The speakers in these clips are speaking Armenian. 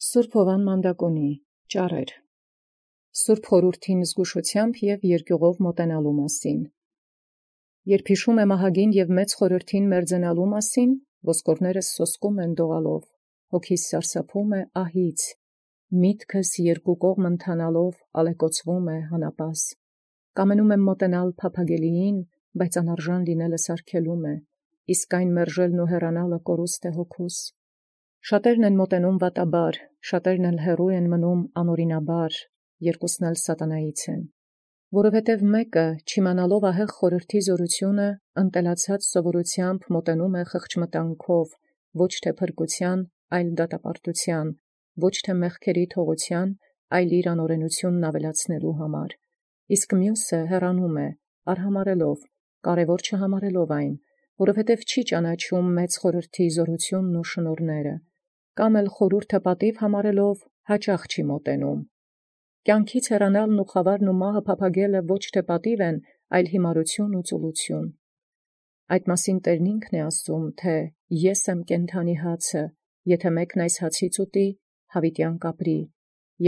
Սուրբ Հովան Մանդակոնի ճառեր Սուրբ խորհրդին զգուշությամբ և երկյուղով մոտենալու մասին։ Երբ հիշում եմ ահագին և մեծ խորհրդին մերձենալու մասին, ոսկորներս սոսկում են դողալով, հոգիս սարսափում է ահից, միտքս երկու կողմ ընթանալով ալեկոծվում է հանապաս։ Կամենում եմ մոտենալ փափագելիին, բայց անարժան լինելս արգելում է, իսկ այն մերժելն ու հեռանալը կորուստ է հոգուս։ Շատերն են մոտենում վատաբար, շատերն էլ հեռու են մնում անօրինաբար, երկուսն էլ սատանայից են։ Որովհետև մեկը, չիմանալով ահեղ խորհրդի զորությունը, ընտելացած սովորությամբ մոտենում է խղճմտանքով, ոչ թե փրկության, այլ դատապարտության, ոչ թե մեղքերի թողության, այլ իր անօրենությունն ավելացնելու համար։ Իսկ մյուսը հեռանում է, արհամարելով, կարևոր չհամարելով այն, որովհետև չի ճանաչում մեծ խորհրդի զորությունն ու շնորհները, կամ էլ խորհուրդը պատիվ համարելով հաճախ չի մոտենում։ Կյանքից հեռանալն ու խավարն ու մահը փափագելը ոչ թե պատիվ են, այլ հիմարություն ու ծուլություն։ Այդ մասին Տերն ինքն է ասում, թե «Ես եմ կենդանի հացը, եթե մեկն այս հացից ուտի, հավիտյան կապրի,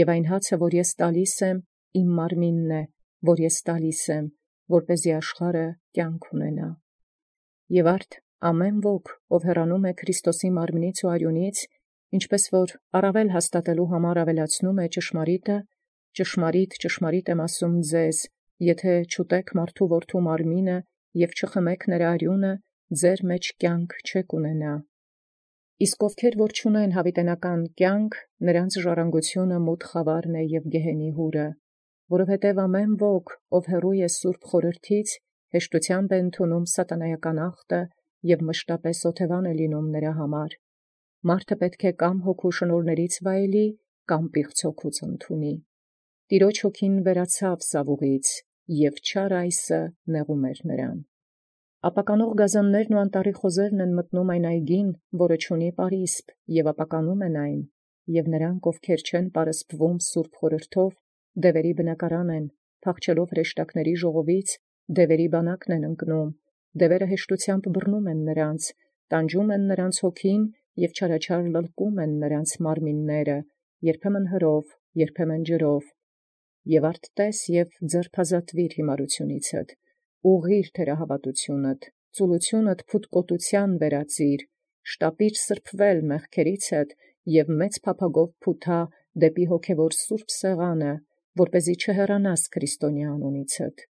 և այն հացը, որ ես տալիս եմ, իմ մարմինն է, որ ես տալիս եմ, որպեսզի աշխարհը կյանք ունենա»։ Եվ արդ ամեն ոք, ով հեռանում է Քրիստոսի մարմնից ու արյունից, ինչպես որ առավել հաստատելու համար ավելացնում է ճշմարիտը, ճշմարիտ եմ ասում ձեզ, եթե չուտեք մարդու որդու մարմինը և չխմեք նրա արյունը, ձեր մեջ կյանք չեք ունենա։ Իսկ ովքեր որ չունեն հավիտենական կյանք, նրանց ժառանգությունը մութ խավարն է և գեհենի հուրը, որովհետև ամեն ոք, ով հեռու է սուրբ խորհրդից, հեշտությամբ է ընդունում սատանայական աղտը և մշտապես օթևան է լինում նրա համար։ Մարդը պետք է կամ հոգու շնորհներից վայելի, կամ պիղծ հոգուց ընդունի։ Տիրոջ հոգին վերացավ Սավուղից, և չար այսը նեղում էր նրան։ Ապականող գազաններն ու անտառի խոզերն են մտնում այն այգին, որը չունի պարիսպ, և ապականում են այն, և նրանք, ովքեր չեն պարսպվում սուրբ խորհրդով, դևերի բնակարան են, փախչելով հրեշտակների ժողովից, դևերի բանակն են ընկնում, դևերը հեշտությամբ բռնում են նրանց, տանջում են նրանց հոգին և չարաչար լլկում են նրանց մարմինները, երբեմն հրով, երբեմն ջրով։ Եվ արդ տես և ձերբազատվիր հիմարությունիցդ, ուղղիր թերահավատությունդ, ծուլությունդ փութկոտության վերածիր, շտապիր սրբվել մեղքերիցդ և մեծ փափագով փութա դեպի հոգևոր սուրբ սեղանը, որպեսզի չհեռանաս քրիստոնյա անունիցդ։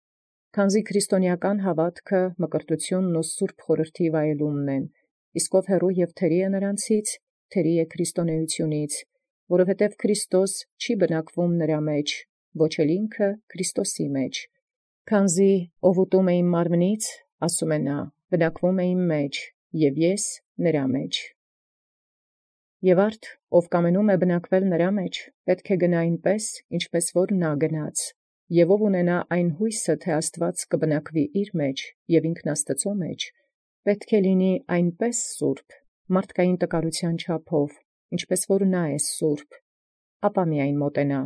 Քանզի քրիստոնեական հավատքը մկրտությունն ու սուրբ խորհրդի վայելումն են, իսկ ով հեռու և թերի է նրանցից, թերի է քրիստոնեությունից, որովհետև Քրիստոս չի բնակվում նրա մեջ, ոչ էլ ինքը Քրիստոսի մեջ։ Քանզի ով ուտում է իմ մարմնից, ասում է նա, բնակվում է իմ մեջ, և ես նրա մեջ։ Եվ արդ, ով կամենում է բնակվել նրա մեջ, պետք է գնա այնպես, ինչպես որ նա գնաց, և ով ունենա այն հույսը, թե Աստված կբնակվի իր մեջ, և ինքն Աստծո մեջ, պետք է լինի այնպես սուրբ, մարդկային տկարության չափով, ինչպես որ նա է սուրբ, ապա միայն մոտենա։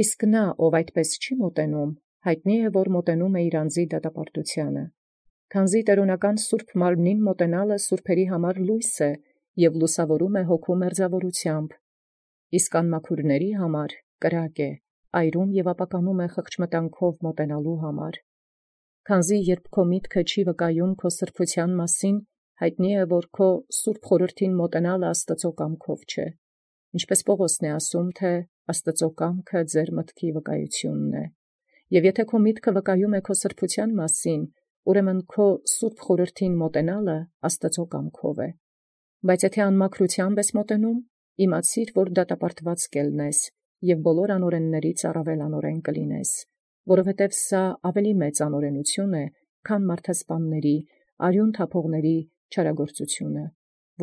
Իսկ նա, ով այդպես չի մոտենում, հայտնի է, որ մոտենում է իր անձի դատապարտությանը։ Քանզի տերունական սուրբ մարմնին մոտենալը սուրբերի համար լույս է և լուսավորում է հոգու մերձավորությամբ, իսկ անմաքուրների համար կրակ է, այրում և ապականում է խղճմտանքով մոտենալու համար։ Քանզի երբ քո միտքը չի վկայում քո սրբության մասին, հայտնի է, որ քո սուրբ խորհրդին մոտենալը Աստծո կամքով չէ, ինչպես Պողոսն է ասում, թե Աստծո կամքը ձեր մտքի վկայությունն է։ Եվ եթե քո միտքը վկայում է քո սրբության մասին, ուրեմն քո սուրբ խորհրդին մոտենալը Աստծո կամքով է։ Բայց եթե անմաքրությամբ ես մոտենում, իմացիր, որ դատապարտված կելնես, և բոլոր անօրեններից առավել անօրեն կլինես, որովհետև սա ավելի մեծ անօրենություն է, քան մարդասպանների, արյուն թափողների չարագործությունը։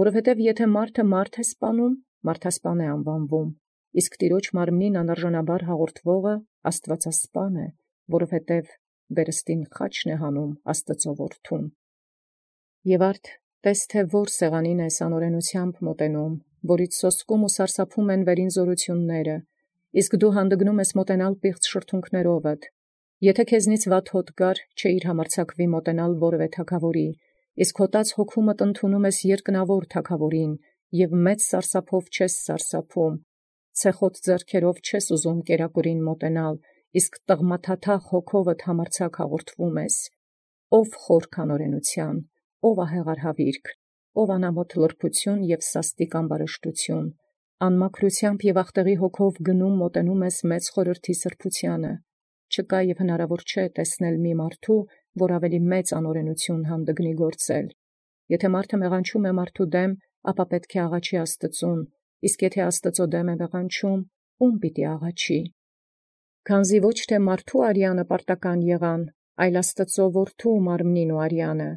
Որովհետև եթե մարդ է սպանում, մարդասպան է անվանվում, իսկ Տիրոջ մարմնին անարժանաբար հաղորդվողը աստվածասպան է, որովհետև վերստին խաչն է հանում Աստծո որդուն։ Եվ արդ տես թե որ սեղանին ես անօրենությամբ մոտենում, որից սոսկում ու սարսափում են վերին զորությունները, իսկ դու հանդգնում ես մոտենալ պիղծ շրթունքներովդ։ Եթե քեզնից վատ հոտ գար, չէիր համարձակվի մոտենալ որևէ թագավորի, իսկ հոտած հոգումդ ընդունում ես երկնավոր թագավորին, և մեծ սարսափով չես սարսափում, ցեխոտ ձեռքերով չես ուզում կերակուրին մոտենալ, իսկ տղմաթաթախ հոգովդ համարձակ հաղորդվում ես, ով խոր քանորենության, ով ահեղարհավիրք, ով անամոթ լրբություն և սաստիկ ամբարշտություն, անմաքրությամբ և աղտեղի հոգով գնում մոտենում ես մեծ խորհրդի սրբությանը, չկա և հնարավոր չէ տեսնել մի մարդու, որ ավելի մեծ անօրենություն հանդգնի գործել. եթե մարդը մեղանչում է մարդու դեմ, ապա պետք է աղաչի Աստծուն, իսկ եթե Աստծո դեմ է մեղանչում, ում պիտի աղաչի։ Քանզի ոչ թե մարդու արյանը պարտական եղան, այլ Աստծո որդու մարմնին ու արյանը։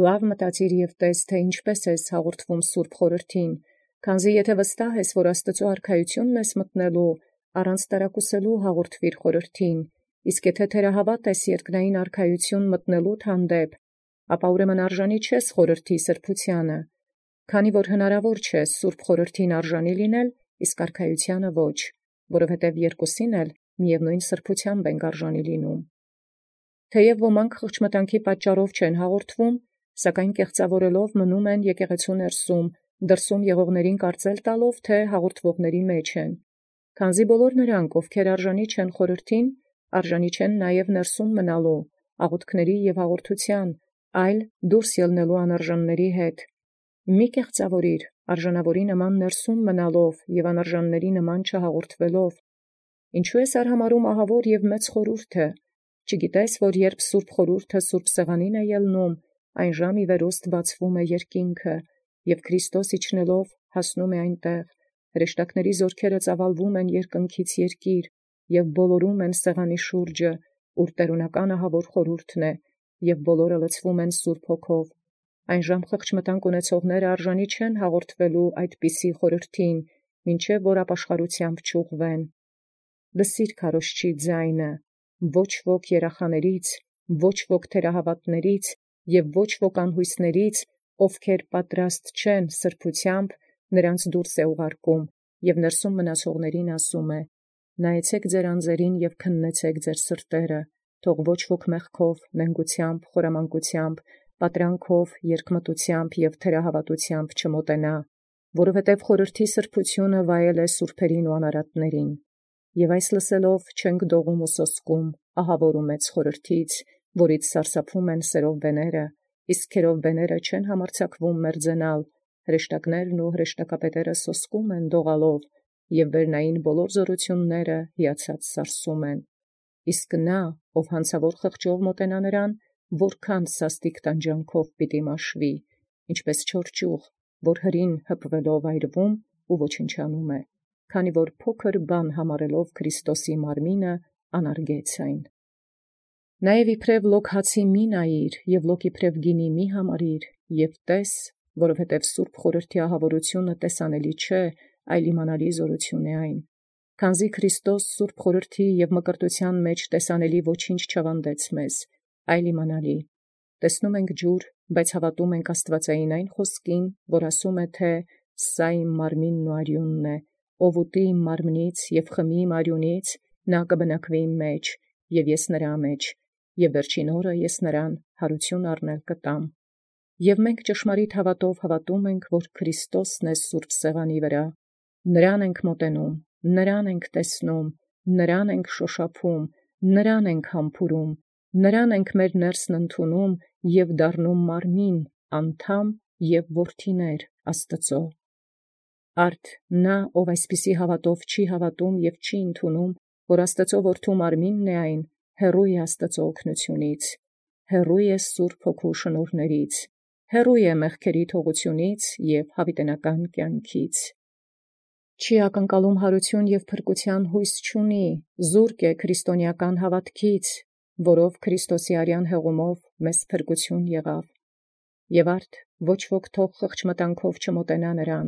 Լավ մտածիր և տես, թե ինչպես ես հաղորդվում Սուրբ Խորհրդին, քանզի եթե վստահ ես, որ Աստծո արքայությունն ես մտնելու, առանց տարակուսելու հաղորդվիր Խորհրդին, իսկ եթե թերահավատ ես երկնային արքայություն մտնելուդ հանդեպ, ապա ուրեմն արժանի չես խորհրդի սրբությանը, քանի որ հնարավոր չէ Սուրբ Խորհրդին արժանի լինել, իսկ արքայությանը ոչ, որովհետև երկուսին էլ միևնույն սրբությամբ ենք արժանի լինում։ Թեև ոմանք խղճմտանքի պատճառով չեն հաղորդվում, սակայն կեղծավորելով մնում են եկեղեցու ներսում, դրսում եղողներին կարծել տալով, թե հաղորդվողների մեջ են, քանզի բոլոր նրանք, ովքեր արժանի չեն խորհրդին, արժանի չեն նաև ներսում մնալու, աղոթքների և հաղորդության, այլ դուրս ելնելու անարժանների հետ։ Մի կեղծավորիր արժանավորի նման ներսում մնալով և անարժանների նման չհաղորդվելով։ Ինչու ես արհամարհում ահավոր և մեծ խորհուրդը, չգիտես, որ երբ Սուրբ Խորհուրդը Սուրբ Սեղանին է ելնում, այն ժամ ի վերուստ բացվում է երկինքը, և Քրիստոս իջնելով հասնում է այնտեղ, հրեշտակների զորքերը ծավալվում են երկնքից երկիր, և բոլորում են սեղանի շուրջը, ուր տերունական ահավոր խորհուրդն է, և բոլորը լցվում են Սուրբ Հոգով։ Այն ժամ խղճմտանք ունեցողները արժանի չեն հաղորդվելու այդպիսի խորհրդին, մինչև որ ապաշխարությամբ չուղղվեն։ Լսիր քարոզչի ձայնը, ոչ ոք երախաներից, ոչ ոք թերահավատներից և ոչ ոք անհույսներից, ովքեր պատրաստ չեն սրբությամբ, նրանց դուրս է ուղարկում, և ներսում մնացողներին ասում է. նայեցեք ձեր անձերին և քննեցեք ձեր սրտերը, թող ոչ ոք մեղքով, նենգությամբ, խորամանկությամբ, պատրանքով, երկմտությամբ և թերահավատությամբ չմոտենա, որովհետև խորհրդի սրբությունը վայել է սուրբերին ու անարատներին։ Եվ այս լսելով չենք դողում ու սոսկում, ահավոր ու մեծ խորհրդից, որից սարսափում են սերովբեները, իսկ քերովբեները չեն համարձակվում մերձենալ, հրեշտակներն ու հրեշտակապետերը սոսկում են դողալով, և վերնային բոլոր զորությունները հիացած սարսում են։ Իսկ նա, ով հանցավոր խղճով մոտենա նրան, որքան սաստիկ տանջանքով պիտի մաշվի, ինչպես չոր ճյուղ, որ հրին հպվելով այրվում ու ոչնչանում է, քանի որ փոքր բան համարելով Քրիստոսի մարմինը անարգեց այն։ Նաև իբրև լոկ հացի մի նայիր, և լոկ իբրև գինի մի համարիր, և տես, որովհետև Սուրբ Խորհրդի ահավորությունը տեսանելի չէ, այլ իմանալի զորություն է այն։ Քանզի Քրիստոս Սուրբ Խորհրդի և մկրտության մեջ տեսանելի ոչինչ չավանդեց մեզ, այլ իմանալի։ Տեսնում ենք ջուր, բայց հավատում ենք աստվածային այն խոսքին, որ ասում է, թե «Սա իմ մարմինն ու արյունն է, ով ուտի իմ մարմնից և խմի իմ արյունից, նա կբնակվի իմ մեջ, և ես նրա մեջ, և վերջին օրը ես նրան հարություն առնել կտամ»։ Եվ մենք ճշմարիտ հավատով հավատում ենք, որ Քրիստոսն է Սուրբ Սեղանի վրա։ Նրան ենք մոտենում, նրան ենք տեսնում, նրան ենք շոշափում, նրան ենք համբուրում, նրան ենք մեր ներսն ընդունում և դառնում մարմին, անդամ և որդիներ Աստծո։ Արդ նա, ով այսպիսի հավատով չի հավատում և չի ընդունում, որ Աստծո որդու մարմինն է այն, հեռու է Աստծո օգնությունից, հեռու է Սուրբ Հոգու շնորհներից, հեռու է մեղքերի թողությունից և հավիտենական կյանքից։ Չի ակնկալում հարություն և փրկության հույս չունի, զուրկ է քրիստոնեական հավատքից, որով Քրիստոսի արյան հեղումով մեզ փրկություն եղավ։ Եվ արդ ոչ ոք թող խղճմտանքով չմոտենա նրան,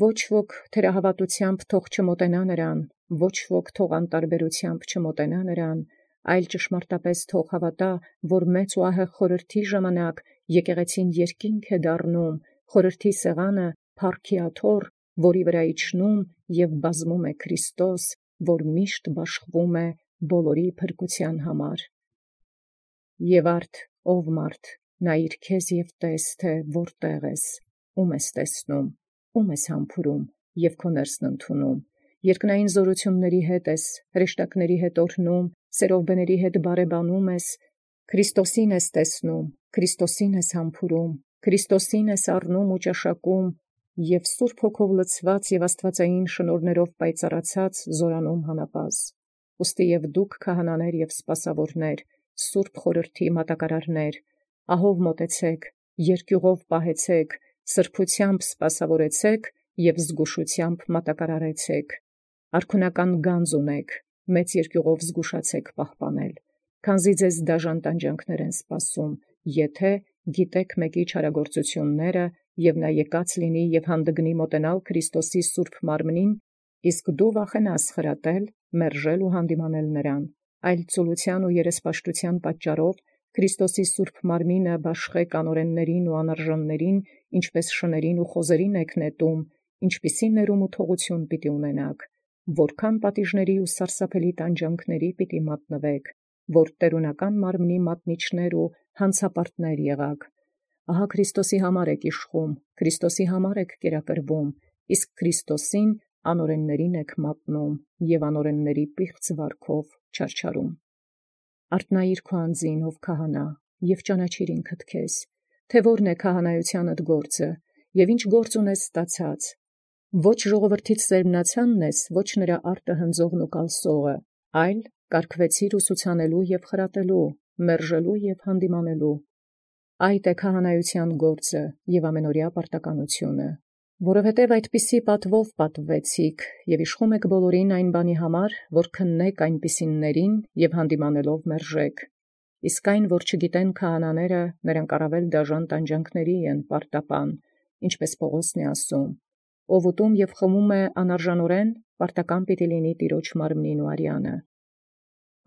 ոչ ոք թերահավատությամբ թող չմոտենա նրան, ոչ ոք թող անտարբերությամբ չմոտենա նրան, այլ ճշմարտապես թող հավատա, որ մեծ ու ահեղ խորհրդի ժամանակ եկեղեցին երկինք է դառնում, խորհրդի սեղանը փառքի աթոռ, որի վրա իջնում և բազմում է Քրիստոս, որ միշտ բաշխվում է բոլորի փրկության համար։ Եվ արդ, ով մարդ, նայիր քեզ և տես, թե որտեղ ես, ում ես տեսնում, ում ես համբուրում և քո ներսն ընդունում, երկնային զորությունների հետ ես, հրեշտակների հետ օրհնում, սերովբեների հետ բարեբանում ես, Քրիստոսին ես տեսնում, Քրիստոսին ես համբուրում, Քրիստոսին ես առնում ու ճաշակում, և Սուրբ Հոգով լցված և աստվածային շնորհներով պայծառացած զորանում հանապազը։ Ուստի և դուք քահանաներ և սպասավորներ, Սուրբ Խորհրդի մատակարարներ, ահով մոտեցեք, երկյուղով պահեցեք, սրբությամբ սպասավորեցեք և զգուշությամբ մատակարարեցեք։ Արքունական գանձ ունեք, մեծ երկյուղով զգուշացեք պահպանել, քանզի ձեզ դաժան տանջանքներ են սպասում, եթե գիտեք մեկի չարագործությունները, և նա եկած լինի և հանդգնի մոտենալ Քրիստոսի սուրբ մարմնին, իսկ դու վախենաս խրատել, մերժել ու հանդիմանել նրան, այլ ծուլության ու երեսպաշտության պատճառով Քրիստոսի սուրբ մարմինը բաշխեք անօրեններին ու անարժաններին, ինչպես շներին ու խոզերին եք նետում, ինչպիսի ներում ու թողություն պիտի ունենաք, որքան պատիժների ու սարսափելի տանջանքների պիտի մատնվեք, որ տերունական մարմնի մատնիչներ ու հանցապարտներ եղաք։ Ահա Քրիստոսի համար եք իշխում, Քրիստոսի համար եք կերակրվում, իսկ Քրիստոսին անօրեններին եք մատնում և անօրենների պիղծ վարքով չարչարում։ Արթնայիր քո անձին, ով քահանա, և ճանաչիր ինքդ քեզ, թե որն է քահանայությանդ գործը, և ինչ գործ ունես ստացած։ Ոչ ժողովրդից սերմնացանն ես, ոչ նրա արտը հնձողն ու կալսողը, այլ կարգվեցիր ուսուցանելու և խրատելու, մերժելու և հանդիմանելու։ Այդ է քահանայության գործը և ամենօրյա պարտականությունը, որովհետև այդպիսի պատվով պատվվեցիք և իշխում եք բոլորին այն բանի համար, որ քննեք այնպիսիններին և հանդիմանելով մերժեք։ Իսկ այն, որ չգիտեն քահանաները, նրանք առավել դաժան տանջանքների են պարտապան, ինչպես Պողոսն է ասում, ով ուտում և խմում է անարժանորեն, պարտական պիտի լինի Տիրոջ մարմնին ու արյանը։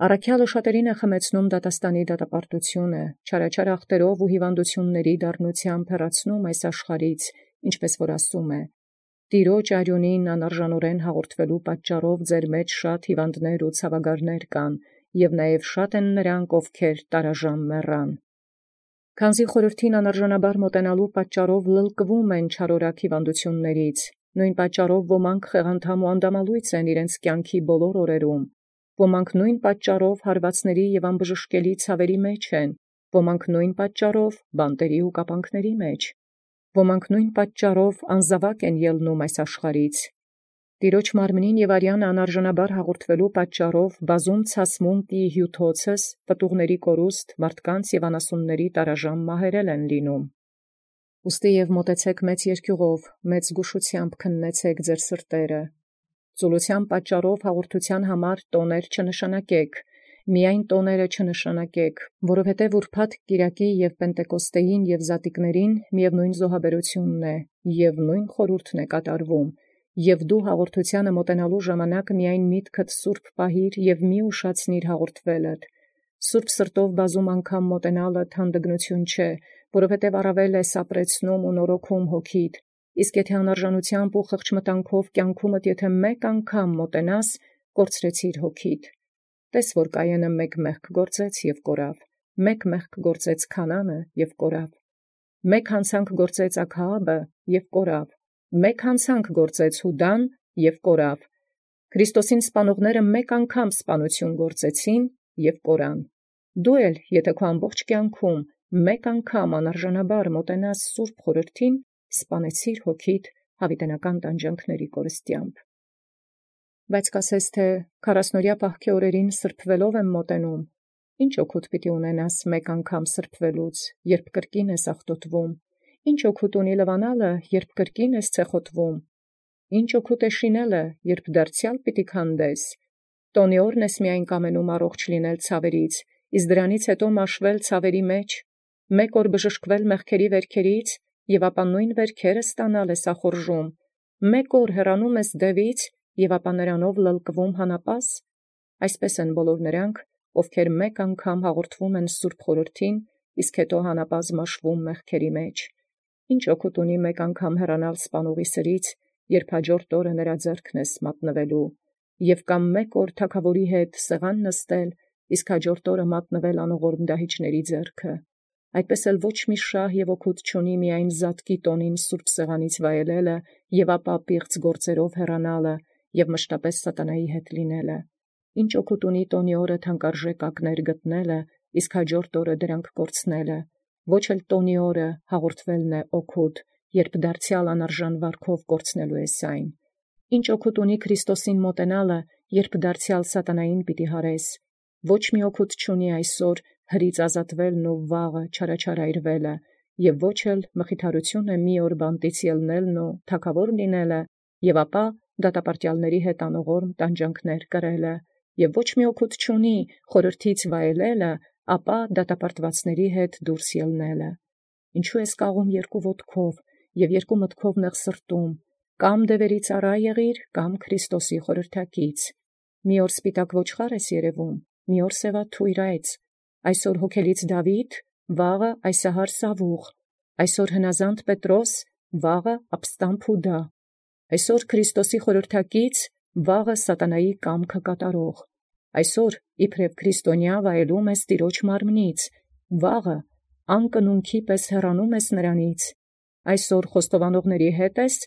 Առաքյալը շատերին է խմեցնում դատաստանի դատապարտությունը, չարաչար ախտերով ու հիվանդությունների դառնությամբ հեռացնում այս աշխարհից, ինչպես որ ասում է. Տիրոջ արյունին անարժանորեն հաղորդվելու պատճառով ձեր մեջ շատ հիվանդներ ու ցավագարներ կան, և նաև շատ են նրանք, ովքեր տարաժամ մեռան։ Քանզի խորհրդին անարժանաբար մոտենալու պատճառով լլկվում են չարորակ հիվանդություններից, նույն պատճառով ոմանք խեղանդամ ու անդամալույծ են իրենց կյանքի բոլոր օրերում, ոմանք նույն պատճառով հարվածների և անբժշկելի ցավերի մեջ են, ոմանք նույն պատճառով բանտերի ու կապանքների մեջ, ոմանք նույն պատճառով անզավակ են ելնում այս աշխարհից։ Տիրոջ մարմնին և արյանը անարժանաբար հաղորդվելու պատճառով բազում ցասմունք ի հյութոցս, պտուղների կորուստ, մարդկանց և անասունների տարաժամ մահերել են լինում։ Ուստի և մոտեցեք մեծ երկյուղով, մեծ զգուշությամբ քննեցեք ձեր սրտերը։ Ծուլության պատճառով հաղորդության համար տոներ չնշանակեք, միայն տոները չնշանակեք, որովհետև ուրբաթ կիրակի և Պենտեկոստեին և Զատիկներին միևնույն զոհաբերությունն է, և նույն խորհուրդն է կատարվում, և դու հաղորդությանը մոտենալու ժամանակ միայն միտքդ սուրբ պահիր և մի ուշացնիր հաղորդվելդ։ Սուրբ սրտով բազում անգամ մոտենալդ հանդգնություն չէ, որովհետև առավել է սապրեցնում ու նորոգում հոգիդ, իսկ եթե անարժանությամբ ու խղճմտանքով կյանքումդ եթե մեկ անգամ մոտենաս, կորցրեցիր հոգիդ։ Տես որ Կայենը մեկ մեղք գործեց և կորավ, մեկ մեղք գործեց Քանանը և կորավ, մեկ հանցանք գործեց Աքահաբը և կորավ, մեկ հանցանք գործեց Հուդան և կորավ։ Քրիստոսին սպանողները մեկ անգամ սպանություն գործեցին և կորան։ Դու էլ, եթե քո ամբողջ կյանքում մեկ անգամ անարժանաբար մոտենաս Սուրբ Խորհրդին, սպանեցիր հոգիդ հավիտենական տանջանքների կորստությամբ։ Բայց կասես, թե 40-օրյա պահքի օրերին սրբվելով եմ մոտենում, ինչ օգուտ պիտի ունենաս մեկ անգամ սրբվելուց, երբ կրկին ես աղտոտվում, ինչ օգուտ ունի լվանալը, երբ կրկին ես ցեխոտվում, ինչ օգուտ է շինելը, երբ դարձյալ պիտի քանդես, տոնի օրն ես միայն կամենում առողջ լինել ցավերից, իսկ դրանից հետո մաշվել ցավերի մեջ, մեկ օր բժշկվել մեղքերի վերքերից, և ապա նույն վերքերը ստանալ ես ախորժում, մեկ օր հեռանում ես դևից, և ապա նրանով լլկվում հանապազ։ Այսպես են բոլոր նրանք, ովքեր մեկ անգամ հաղորդվում են Սուրբ Խորհրդին, իսկ հետո հանապազ մաշվում մեղքերի մեջ։ Ինչ օգուտ ունի մեկ անգամ հեռանալ սպանողի սրից, երբ հաջորդ օրը նրա ձեռքն ես մատնվելու, և կամ մեկ օր թագավորի հետ սեղան նստել, իսկ հաջորդ օրը մատնվել անողորմ դահիճների ձեռքը։ Այդպես էլ ոչ մի շահ և օգուտ չունի միայն զատկի տոնին սուրբ սեղանից վայելելը և ապա պիղծ գործերով հեռանալը, և մշտապես սատանայի հետ լինելը։ Ինչ օգուտ ունի տոնի օրը թանկարժեք ակներ գտնելը, իսկ հաջորդ օրը դրանք կորցնելը։ Ոչ էլ տոնի օրը հաղորդվելն է օգուտ, երբ դարձյալ անարժան վարքով կորցնելու ես այն։ Ինչ օգուտ ունի Քրիստոսին մոտենալը, երբ դարձյալ սատանային պիտի հարես։ Ոչ մի օգուտ չունի այսօր հրից ազատվելն ու վաղը չարաչարայրվելը, և ոչ էլ մխիթարություն է մի օր բանտից ելնելն ու թագավոր լինելը, և ապա դատապարտյալների հետ անողորմ տանջանքներ կրելը, և ոչ մի օգուտ չունի խորհրդից վայելելը, ապա դատապարտվածների հետ դուրս ելնելը։ Ինչու ես կաղում երկու ոտքով և երկու մտքով նեղ սրտում, կամ դևերի ծառա եղիր, կամ Քրիստոսի խորհրդակից։ Մի օր սպիտակ ոչխար ես երևում, մի օր սևաթույր այծ, այսօր հոգելից Դավիթ, վաղը այսահար Սավուղ, այսօր հնազանդ Պետրոս, վաղը ապստամբ Հուդա, այսօր Քրիստոսի խորհրդակից, վաղը սատանայի կամքը կատարող, այսօր իբրև քրիստոնյա վայելում ես Տիրոջ մարմնից, վաղը անկնունքի պես հեռանում ես նրանից, այսօր խոստովանողների հետ ես,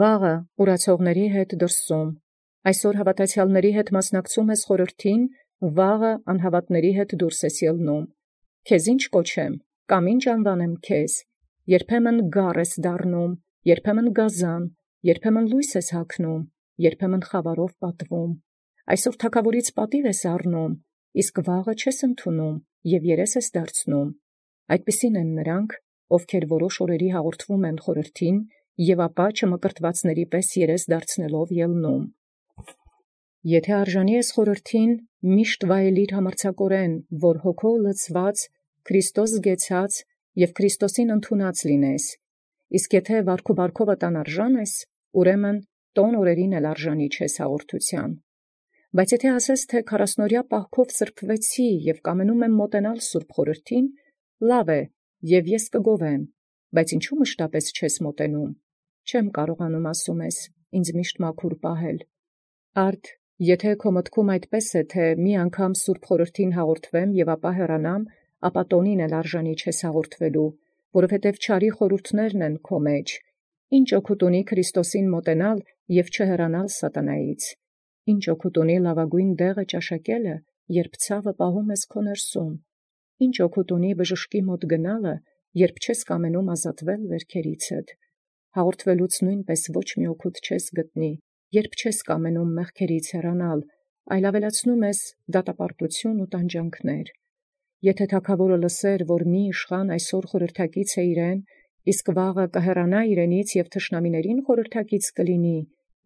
վաղը ուրացողների հետ դրսում, այսօր հավատացյալների հետ մասնակցում ես խորհրդին, վաղը անհավատների հետ դուրս ես ելնում։ Քեզ ինչ կոչեմ, կամ ինչ անվանեմ քեզ, երբեմն գառ ես դառնում, երբեմն գազան, երբեմն լույս ես հագնում, երբեմն խավարով պատվում։ Այսօր թագավորից պատիվ ես առնում, իսկ վաղը չես ընդունում և երես ես դարձնում։ Այդպիսին են նրանք, ովքեր որոշ օրերի հաղորդվում են խորհրդին և ապա չմկրտվածների պես երես դարձնելով ելնում։ Եթե արժանի ես խորհրդին, միշտ վայելիր համարձակորեն, որ հոգով լցված, Քրիստոս զգեցած և Քրիստոսին ընդունած լինես, իսկ եթե վարքու բարքովդ անարժան ես, ուրեմն տոն օրերին էլ արժանի չես հաղորդության։ Բայց եթե ասես, թե 40-օրյա պահքով սրբվեցի և կամենում եմ մոտենալ սուրբ խորհրդին, լավ է, և ես կգովեմ, բայց ինչու մշտապես չես մոտենում։ Չեմ կարողանում, ասում ես, ինձ միշտ մաքուր պահել։ Արդ, եթե քո մտքում այդպես է, թե մի անգամ սուրբ խորհրդին հաղորդվեմ և ապա հեռանամ, ապա տոնին էլ արժանի չես հաղորդվելու, որովհետև չարի խորհուրդներն են քո մեջ։ Ինչ օգուտ ունի Քրիստոսին մոտենալ և չհեռանալ սատանայից։ Ինչ օգուտ ունի լավագույն դեղը ճաշակելը, երբ ցավը պահում ես քո ներսում։ Ինչ օգուտ ունի բժշկի մոտ գնալը, երբ չես կամենում ազատվել վերքերիցդ։ Հաղորդվելուց նույնպես ոչ մի օգուտ չես գտնի, երբ չես կամենում մեղքերից հեռանալ, այլ ավելացնում ես դատապարտություն ու տանջանքներ։ Եթե թագավորը լսեր, որ մի իշխան այսօր խորհրդակից է իրեն, իսկ վաղը կհեռանա իրենից և թշնամիներին խորհրդակից կլինի,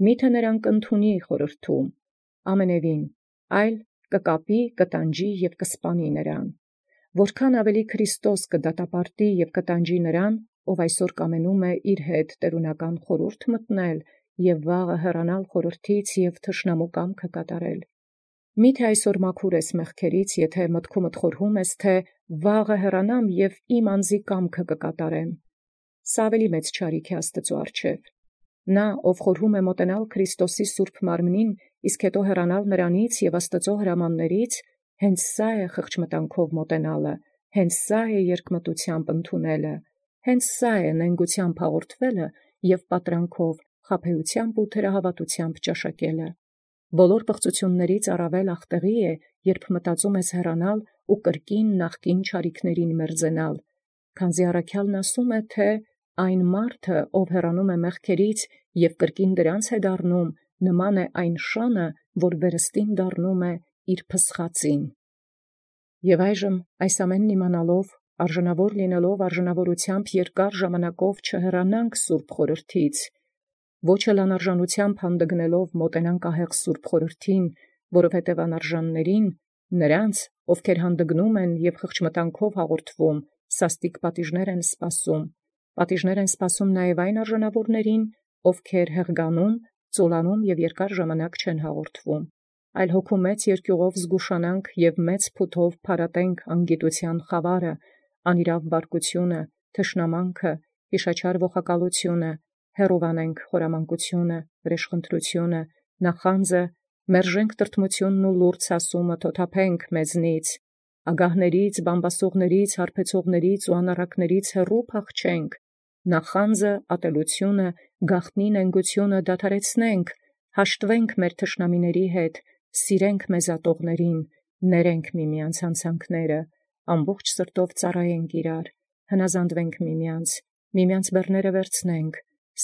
միթե նրան կընդունի խորհրդում, ամենևին, այլ կկապի, կտանջի և կսպանի նրան։ Որքան ավելի Քրիստոս կդատապարտի և կտանջի նրան, ով այսօր կամենում է իր հետ տերունական խորհուրդ մտնել և վաղը հեռանալ խորհրդից և թշնամու կամքը կատարել։ Միթե այսօր մաքուր ես մեղքերից, եթե մտքումդ խորհում ես, թե վաղը հեռանամ և իմ անձի կամքը կկատարեմ։ Սա ավելի մեծ չարիք է Աստծու առջև։ Նա, ով խորհում է մոտենալ Քրիստոսի սուրբ մարմնին, իսկ հետո հեռանալ նրանից և Աստծո հրամաններից, հենց սա է խղճմտանքով մոտենալը, հենց սա է երկմտությամբ ընդունելը, հենց սա է նենգությամբ հաղորդվելը և պատրանքով, խաբեությամբ ու թերահավատությամբ ճաշակելը։ Բոլոր պղծություններից առավել ախտեղի է, երբ մտածում ես հեռանալ ու կրկին նախկին չարիքներին մերձենալ, քանզի առաքյալն ասում է, թե այն մարդը, ով հեռանում է մեղքերից և կրկին դրանց է դառնում, նման է այն շանը, որ վերստին դառնում է իր փսխածին։ Եվ այժմ այս ամենն իմանալով, արժանավոր լինելով արժանավորությամբ երկար ժամանակով չհեռանանք սուրբ խորհրդից, ոչ էլ անարժանությամբ հանդգնելով մոտենանք ահեղ սուրբ խորհրդին, որովհետև անարժաններին, նրանց, ովքեր հանդգնում են և խղճմտանքով հաղորդվում, սաստիկ պատիժներ են սպասում։ Պատիժներ են սպասում նաև այն արժանավորներին, ովքեր հեղգանում, ծուլանում և երկար ժամանակ չեն հաղորդվում, այլ հոգու մեծ երկյուղով զգուշանանք և մեծ փութով փարատենք անգիտության խավարը, անիրավ բարկությունը, թշնամանքը, հիշաչար ողակալությունը, հեռուվանենք խորամանկությունը, վրեժխնդրությունը, նախանձը, մերժենք տրտմությունն ու լուրջ ասումը թոթափենք մեզնից, ագահներից, բամբասողներից, հարբեցողներից ու անառակներից հեռու փախչենք, նախանձը, ատելությունը, գաղտնի նենգությունը դադարեցնենք, հաշտվենք մեր թշնամիների հետ, սիրենք մեզ ատողներին, ներենք միմյանց հանցանքները, ամբողջ սրտով ծառայենք իրար, հնազանդվենք միմյանց բեռները վերցնենք,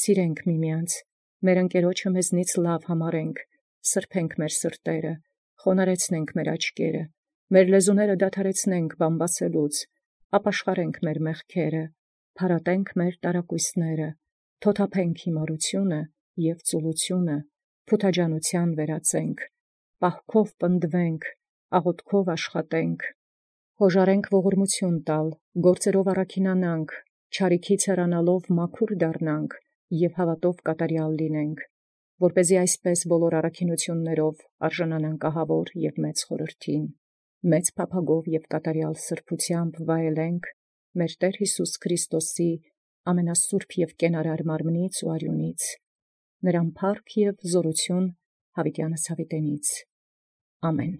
սիրենք միմյանց, մեր ընկերոջը մեզնից լավ համարենք, սրբենք մեր սրտերը, խոնարեցնենք մեր աչքերը, մեր լեզուները դադարեցնենք բամբասելուց, ապաշխարենք մեր մեղքերը, փարատենք մեր տարակույսները, թոթափենք հիմարությունը և ծուլությունը, փութաջանության վերածենք, պահքով պնդվենք, աղոթքով աշխատենք, հոժարենք ողորմություն տալ, գործերով առաքինանանք, չարիքից հեռանալով մաքուր դառնանք և հավատով կատարյալ լինենք, որպեսզի այսպես բոլոր առաքինություններով արժանանանք ահավոր և մեծ խորհրդին, մեծ փափագով և կատարյալ սրբությամբ վայելենք մեր Տեր Հիսուս Քրիստոսի ամենասուրբ և կենարար մարմնից ու արյունից, նրան փառք և զորություն յաւիտյանս յաւիտենից։ Ամեն։